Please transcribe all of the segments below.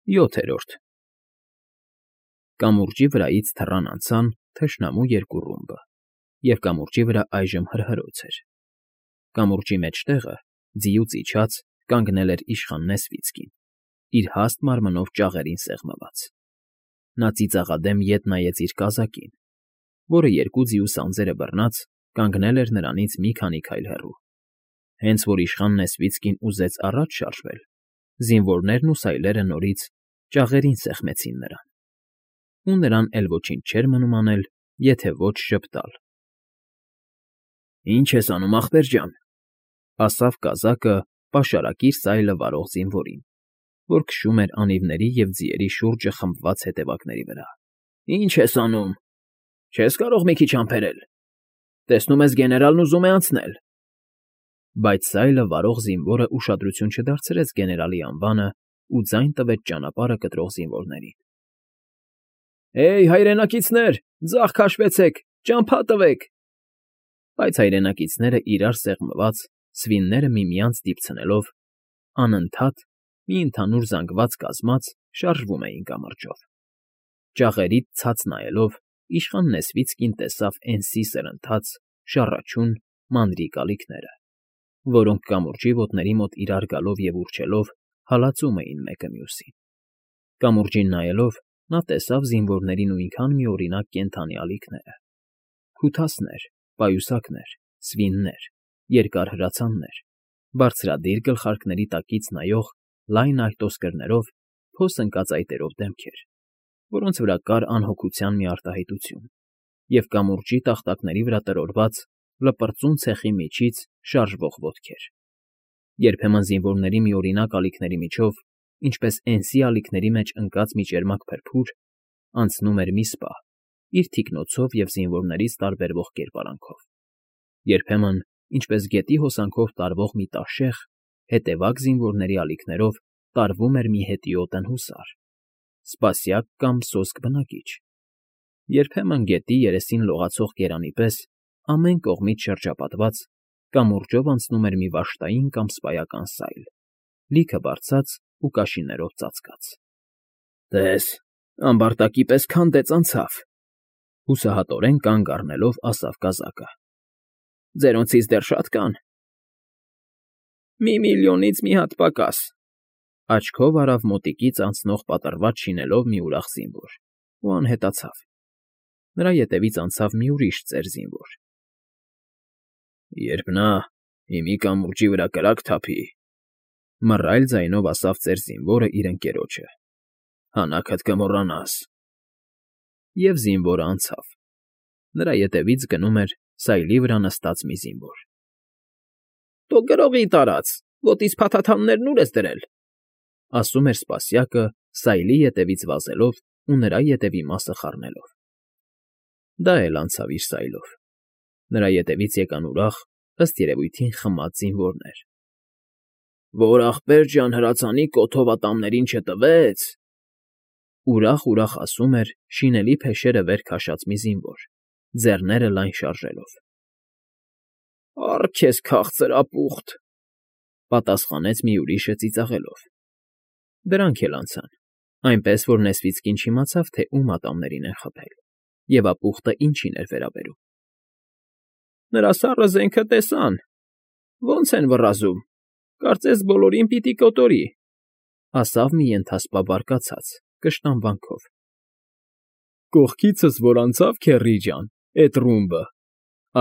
7-րդ Կամուրջի վրայից թռան անցան թշնամու երկու ռումբը, և կամուրջի վրա այժմ հրհրոց էր. կամուրջի մեջտեղը, ձիուց իջած, կանգնել էր իշխան Նեսվիցկին, իր հաստ մարմնով ճաղերին սեղմված. նա ծիծաղադեմ ետ նայեց իր կազակին, որը երկու ձիու սանձերը բռնած կանգնել էր նրանից մի քանի քայլ հեռու. հենց որ իշխան Նեսվիցկին ուզեց առաջ շարժվել, զինվորներն ու սայլերը նորից ճաղերին սեղմեցին նրան, ու նրան էլ ոչինչ չէր մնում անել, եթե ոչ ժպտալ։ «Ի՞նչ ես անում, ախպեր ջան,֊ ասավ կազակը պաշարակիր սայլը վարող զինվորին, որ քշում էր անիվների և ձիերի շուրջը խմբված հետևակների վրա։֊ Ի՞նչ ես անում… Չես կարող մի քիչ համբերել… Տեսնում ես, գեներալն ուզում է անցնել…֊ Բայց սայլը վարող զինվորը ուշադրություն չդարձրեց գեներալի անվանը ու ձայն տվեց ճանապարհը կտրող զինվորներին։ «Հեյ, հայրենակիցներ, ձախ քաշվեցեք, ճամփա տվեք…» Բայց հայրենակիցները իրար սեղմված, սվինները միմյանց դիպցնելով, անընդհատ, մի ընդհանուր զանգված կազմած շարժվում էին կամրջով։ Ճաղերից ցած նայելով, իշխան Նեսվիցկին տեսավ էնսի սրընթաց, շառաչուն, մանրիկ ալիքները, որոնք կամուրջի ոտների մոտ իրար գալով և ուռչելով հալածում էին մեկը մյուսին։ Կամուրջին նայելով, նա տեսավ զինվորների նույնքան միօրինակ կենդանի ալիքները. քութասներ, պայուսակներ, սվիններ, երկար հրացաններ, բարձրադիր գլխարկների տակից նայող լայն արտոսկրներով, փոս ընկած այտերով դեմքեր, որոնց վրա կար անհոգության մի արտահայտություն, և կամուրջի տախտակների վրա տրորված լպրծուն ցեխի միջից շարժվող ոտքեր։ Երբեմն զինվորների միօրինակ ալիքների միջով, ինչպես էնսի ալիքների մեջ ընկած մի ճերմակ փրփուր, անցնում էր մի սպա, իր թիկնոցով և զինվորներից տարբերվող կերպարանքով։ Երբեմն, ինչպես գետի հոսանքով տարվող մի տաշեղ, հետևակ զինվորների ալիքներով տարվում էր մի հետիոտն հուսար, սպասյակ կամ սոսկ բնակիչ։ Երբեմն գետի երեսին լողացող կերանի պես, ամեն կողմից շրջապատված, կամուրջով անցնում էր մի վշտային կամ սպայական սայլ, լիքը բարձած ու կաշիներով ծածկած։ «Տես, ամբարտակի պես քանդեց անցավ,֊ հուսահատորեն կանգ առնելով ասավ կազակը։֊ Ձերոնցից դեռ շատ կան…֊ 1,000,000-ից մի հատ պակաս,֊ աչքով արավ մոտիկից անցնող պատռված շինելով մի ուրախ զինվոր ու անհետացավ։ Նրա ետևից անցավ մի ուրիշ ծեր զինվոր։ «Երբ նա հիմի կամուրջի վրա կրակ թափի,֊ մռայլ ձայնով ասավ ծեր զինվորը իր ընկերոջը,֊ հանաքդ կմոռանաս…» Եվ զինվորը անցավ։ Նրա ետևից գնում էր սայլի վրա նստած մի զինվոր։ «Թո գրողի տարած, ոտից փաթաթաններն ուր ես դրել,֊ ասում էր սպասյակը սայլի ետևից վազելով ու նրա ետևի մասը խառնելով։ Դա էլ անցավ իր սայլով։ Նրա ետևից եկան ուրախ, ըստ երևույթին խմած զինվորներ։ «Որ ախպեր ջան հրացանի կոթով ատամներին չտվեց…֊ ուրախ ասում էր շինելի փեշերը վեր քաշած մի զինվոր, ձեռները լայն շարժելով։ «Առ քեզ քաղցր ապուխտ,֊ պատասխանեց մի ուրիշը ծիծաղելով։ Դրանք էլ անցան, այնպես որ Նեսվիցկին չիմացավ, թե ում ատամներին են խփել, և ապուխտը ինչին էր վերաբերում։ «Նրա սառը զենքը տեսան… Ոնց են վռազում… Կարծես բոլորին պիտի կոտորի,֊ ասավ մի ենթասպա բարկացած, կշտամբանքով։ «Կողքիցս որ անցավ, քեռի ջան, էդ ռումբը,֊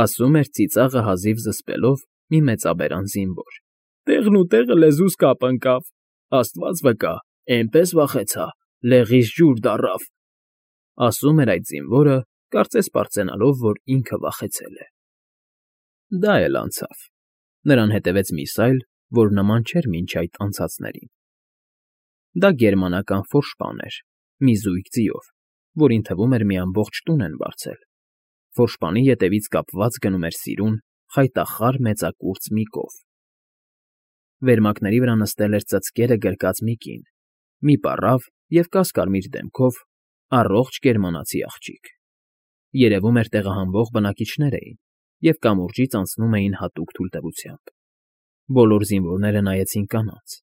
ասում էր ծիծաղը հազիվ զսպելով մի մեծաբերան զինվոր,֊ տեղն ու տեղը լեզուս կապ ընկավ… Աստված վկա, էնպես վախեցա, լեղիս ջուր դառավ,֊ ասում էր այդ զինվորը, կարծես պարծենալով, որ ինքը վախեցել է։ Դա էլ անցավ։ Նրան հետևեց մի սայլ, որ նման չէր մինչ այդ անցածներին։ Դա գերմանական ֆորշպան էր, մի զույգ ձիով, որին թվում էր մի ամբողջ տուն են վարձել։ Ֆորշպանի ետևից կապված գնում էր սիրուն, խայտախառ մեծակուրծք մի կով։ Վերմակների վրա նստել էր ծծկերը գրկած մի կին, մի պառավ և կասկարմիր դեմքով, առողջ գերմանացի աղջիկ։ Երևում էր տեղահանվող բնակիչներ էին և կամուրջից անցնում էին հատուկ թույլտվությամբ։ Բոլոր զինվորները նայեցին կանանց։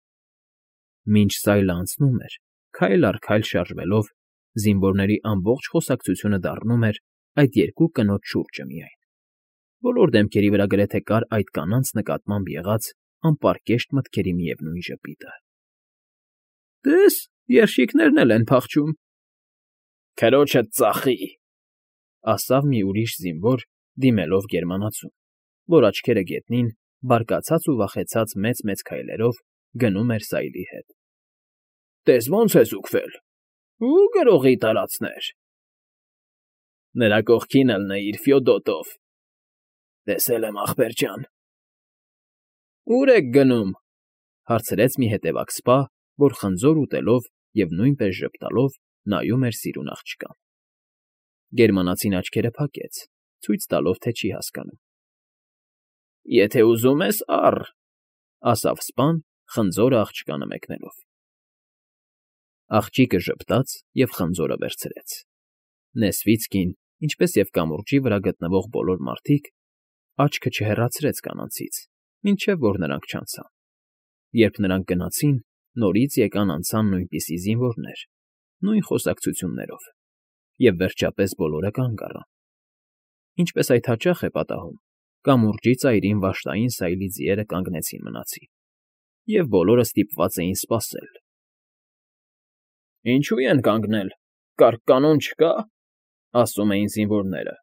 Մինչ սայլը անցնում էր, քայլ առ քայլ շարժվելով, զինվորների ամբողջ խոսակցությունը դառնում էր այդ երկու կնոջ շուրջը միայն։ Բոլոր դեմքերի վրա գրեթե կար այդ կանանց նկատմամբ եղած անպարկեշտ մտքերի միևնույն ժպիտը։ Տես, երշիկներն էլ են փախչում։ Քրոջդ ծախի, ասավ մի ուրիշ զինվոր, դիմելով գերմանացուն, որ աչքերը գետնին, բարկացած ու վախեցած մեծ-մեծ քայլերով գնում էր Սայլի հետ։ Տես ոնց է զուգվել։ Ու գրողի տարածներ։ Նրա կողքին ելնեիր Ֆյոդոտով։ Տեսել եմ ախպեր ջան։ Ուր եք գնում, հարցրեց մի հետևակ սպա, որ խնձոր ուտելով և նույնպես ժպտալով նայում էր սիրուն աղջկան։ Գերմանացին աչքերը փակեց, ցույց տալով, թե չի հասկանում։ Եթե ուզում ես, առ, ասավ սպան, խնձորը աղջկանը մեկնելով։ Աղջիկը ժպտաց և խնձորը վերցրեց։ Նեսվիցկին, ինչպես և կամուրջի վրա գտնվող բոլոր մարդիկ, աչքը չհեռացրեց կանանցից, մինչև որ նրանք չանցան։ Երբ նրանք գնացին, նորից եկան անցան նույնպիսի զինվորներ, նույն խոսակցություններով, և վերջապես բոլորը կանգ առան։ Ինչպես այդ հաճախ է պատահում, կամուրջի ծայրին վշտային Սայլի ձիերը կանգնեցին մնացին, և բոլորը ստիպված էին սպասել։ Ինչու են կանգնել, կարգ կանոն չկա, ասում էին զինվորները։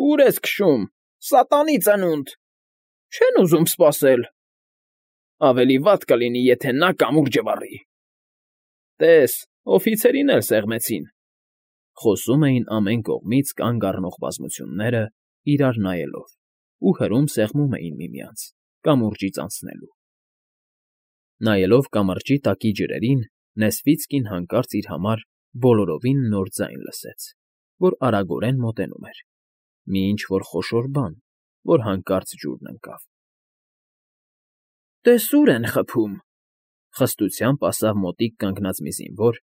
Ուր ես քշում, սատանի ծնունդ, չեն ուզում սպասել։ Ավելի վատ կլինի, եթե նա կամուրջը վառի։ Տես, օֆիցերին էլ սեղմեցին, խոսում էին ամեն կողմից կանգ առնող բազմությունները, իրար նայելով, ու հրում սեղմում էին միմյանց, կամուրջից անցնելու։ Նայելով կամրջի տակի ջրերին, Նեսվիցկին հանկարծ իր համար բոլորովին նոր ձայն լսեց, որ արագորեն մոտենում էր, մի ինչ֊որ խոշոր բան, որ հանկարծ ջուրն ընկավ։ Տես ուր են խփում, խստությամբ ասավ մոտիկ կանգնած մի զինվոր,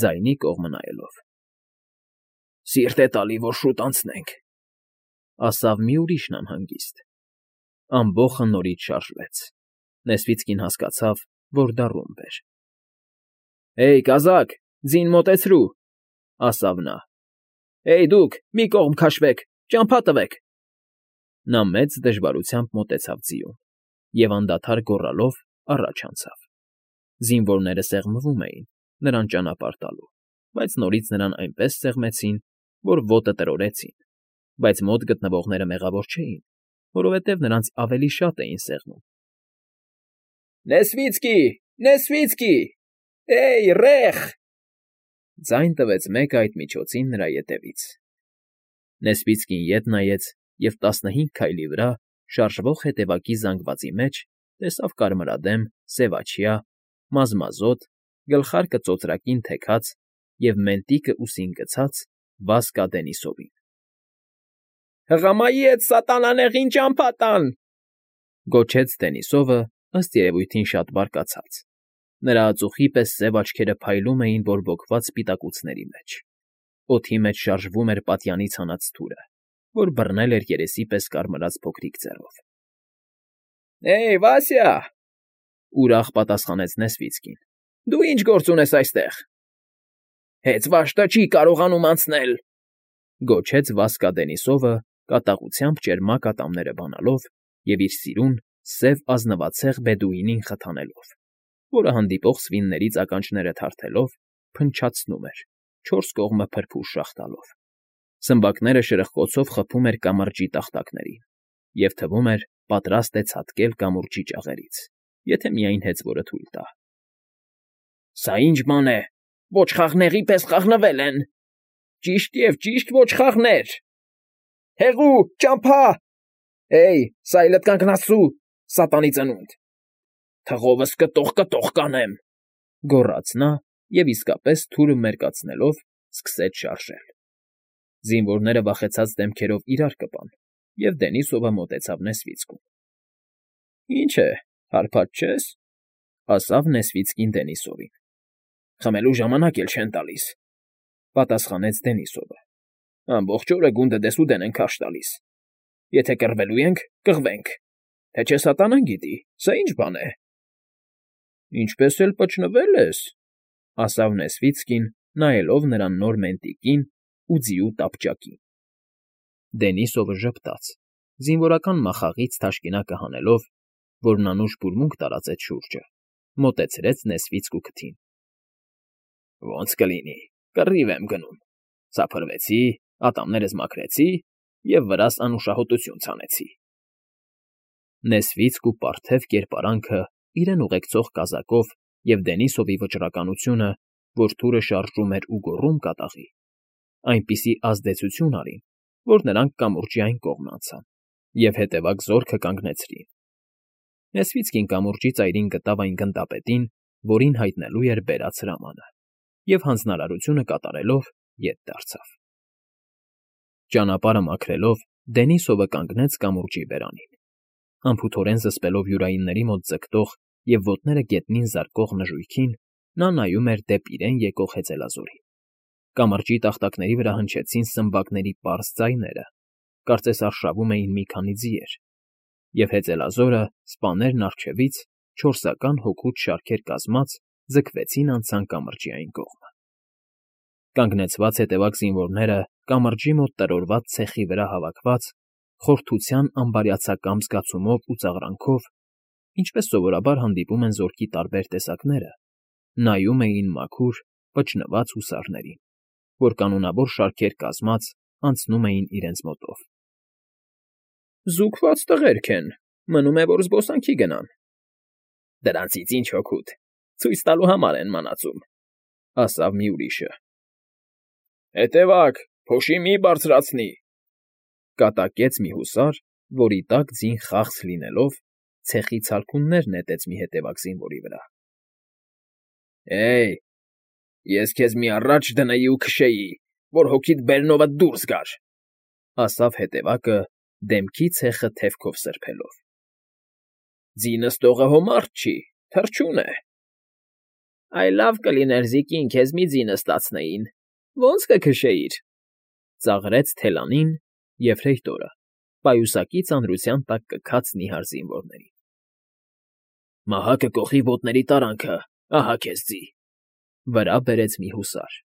ձայնի կողմը նայելով։ Սիրտ է տալի, որ շուտ անցնենք, ասավ մի ուրիշն անհանգիստ։ Ամբոխը նորից շարժվեց։ Նեսվիցկին հասկացավ, որ դա ռումբ էր։ Էй, կազակ, ձին մոտեցրու, ասավ նա։ Էй, դուք, մի կողմ քաշվեք, ճամփա տվեք։ Նա մեծ դժվարությամբ մոտեցավ ձիուն և անդադար գոռալով առաջ անցավ։ Զինվորները սեղմվում էին, նրան ճանապարհ տալու, բայց նորից նրան այնպես սեղմեցին, որ ոտը տրորեցին, բայց մոտ գտնվողները մեղավոր չէին, որովհետև նրանց ավելի շատ էին սեղմում։ Նեսվիցկի, Նեսվիցկի, էй, ռեխ, ձայն տվեց մեկը այդ միջոցին նրա ետևից։ Նեսվիցկին ետ նայեց և 15 քայլի վրա, շարժվող հետևակի զանգվածի մեջ, տեսավ կարմրադեմ, սևաչյա, մազմազոտ, գլխարկը ծոծրակին թեքած և մենտիկը ուսին գցած Վասկա Դենիսովին։ Հղամայի հետ սատանաներին ճամփա տան, գոչեց Դենիսովը, ըստ երևույթին շատ բարկացած։ Նրա ածուխի պես սև աչքերը փայլում էին բորբոքված սպիտակուցների մեջ։ Օդի մեջ շարժվում էր պատյանից հանած թուրը, որ բռնել էր երեսի պես կարմրած փոքրիկ ձեռով։ Էй, Վասյա, ուրախ պատասխանեց Նեսվիցկին։ Դու ինչ գործ ունես այստեղ։ Հեծվաշտը չի կարողանում անցնել, գոչեց Վասկա Դենիսովը, կատաղությամբ ճերմակ ատամները բանալով և իր սիրուն, սև ազնվացեղ բեդուինին խթանելով, որը հանդիպող սվիններից ականջները թարթելով, փնչացնում էր, չորս կողմը փրփուր շաղ տալով։ Սմբակները շրխկոցով խփում էր կամրջի տախտակներին, և թվում էր, պատրաստ է ցատկել կամուրջի ճաղերից, եթե միայն հեծվորը թույլ տա։ Սա ի՞նչ բան է, ոչխարների պես խաղնվել են։ Ճիշտ և ճիշտ ոչխարներ։ Հեղու, ճամփա։ Էй, սայլդ կանգնացրու, սատանի ծնունդ։ Թղովս կտող կանեմ, գոռաց նա և իսկապես թուրը մերկացնելով սկսեց շարժել։ Զինվորները վախեցած դեմքերով իրար կպան, և Դենիսովը մոտեցավ Նեսվիցկուն։ Ինչ է, հարբած չես, ասավ Նեսվիցկին Դենիսովին։ Խմելու ժամանակ էլ չեն տալիս, պատասխանեց Դենիսովը։ Ամբողջ օրը գունդը դեսուդեն են քարշ տալիս։ Եթե կռվելու ենք, կռվենք, թե չէ սատանան գիտի, սա ինչ բան է։ Ինչպես էլ պճնվել ես, ասավ Նեսվիցկին, նայելով նրան նոր մենտիկին ու ձիու տապճակին։ Դենիսովը ժպտաց, զինվորական մախաղից թաշկինակը հանելով, որն անուշ բուրմունք տարածեց շուրջը, մոտեցրեց Նեսվիցկու քթին։ Ոնց կլինի, կռիվ եմ գնում, սափրվեցի, ատամներս մաքրեցի և վրաս անուշահոտություն ցանեցի։ Նեսվիցկու պարթև կերպարանքը իրեն ուղեկցող կազակով և Դենիսովի վճռականությունը, որ թուրը շարժում էր ու գոռում կատաղի, այնպիսի ազդեցություն արին, որ նրանք կամուրջի այն կողմն անցան և հետևակ զորքը կանգնեցրին։ Նեսվիցկին կամուրջի ծայրին գտավ այն գնդապետին, որին հայտնելու էր բերած հրամանը, և հանձնարարությունը կատարելով ետ դարձավ։ Ճանապարհը մաքրելով՝ Դենիսովը կանգնեց կամուրջի բերանին, անփութորեն զսպելով յուրայինների մոտ ձգտող և ոտները գետնին զարկող նժույգին, նա նայում էր դեպի իրեն եկող հեծելազորին։ Կամրջի տախտակների վրա հնչեցին սմբակների պարզ ձայները, կարծես արշավում էին մի քանի ձիեր, և հեծելազորը, սպաներն առջևից, չորսական հոգուց շարքեր կազմած, ձգվեցին անցան կամրջի այն կողմը։ Կանգնեցված հետևակ զինվորները կամրջի մոտ տրորված ցեխի վրա հավաքված, խորթության ամբարյացակամ զգացումով ու ծաղրանքով, ինչպես սովորաբար հանդիպում են զորքի տարբեր տեսակները, նայում էին մաքուր, պճնված հուսարներին, որ կանոնավոր շարքեր կազմած անցնում էին իրենց մոտով։ Զուգված տղերք են, մնում է, որ զբոսանքի գնան։ Դրանցից ինչ օգուտ, ցույց տալու համար են մնացում, ասավ մի ուրիշը։ Հետևակ, փոշի մի բարձրացնի, կատակեց մի հուսար, որի տակ ձին խախս լինելով, ցեխի ցալքուններ նետեց մի հետևակ զինվորի վրա։ Հեյ, ես քեզ մի առաջ դնեի ու քշեի, որ հոգիդ բերնովդ դուրս գար, ասավ հետևակը, դեմքի ցեխը թևքով սրբելով։ Ձինս տողը հո մարդ չի, թռչուն է։ Այ լավ կլիներ, զիկին, քեզ մի ձի նստացնեին, ո՞նց կքշեիր, ծաղրեց թելանին, և հրեյտորը պայուսակի ծանրության տակ կքաց նիհար զինվորներին։ Մահակը կոխի ոտների տարանքը, ահա քեզ ձի, վրա բերեց մի հուսար։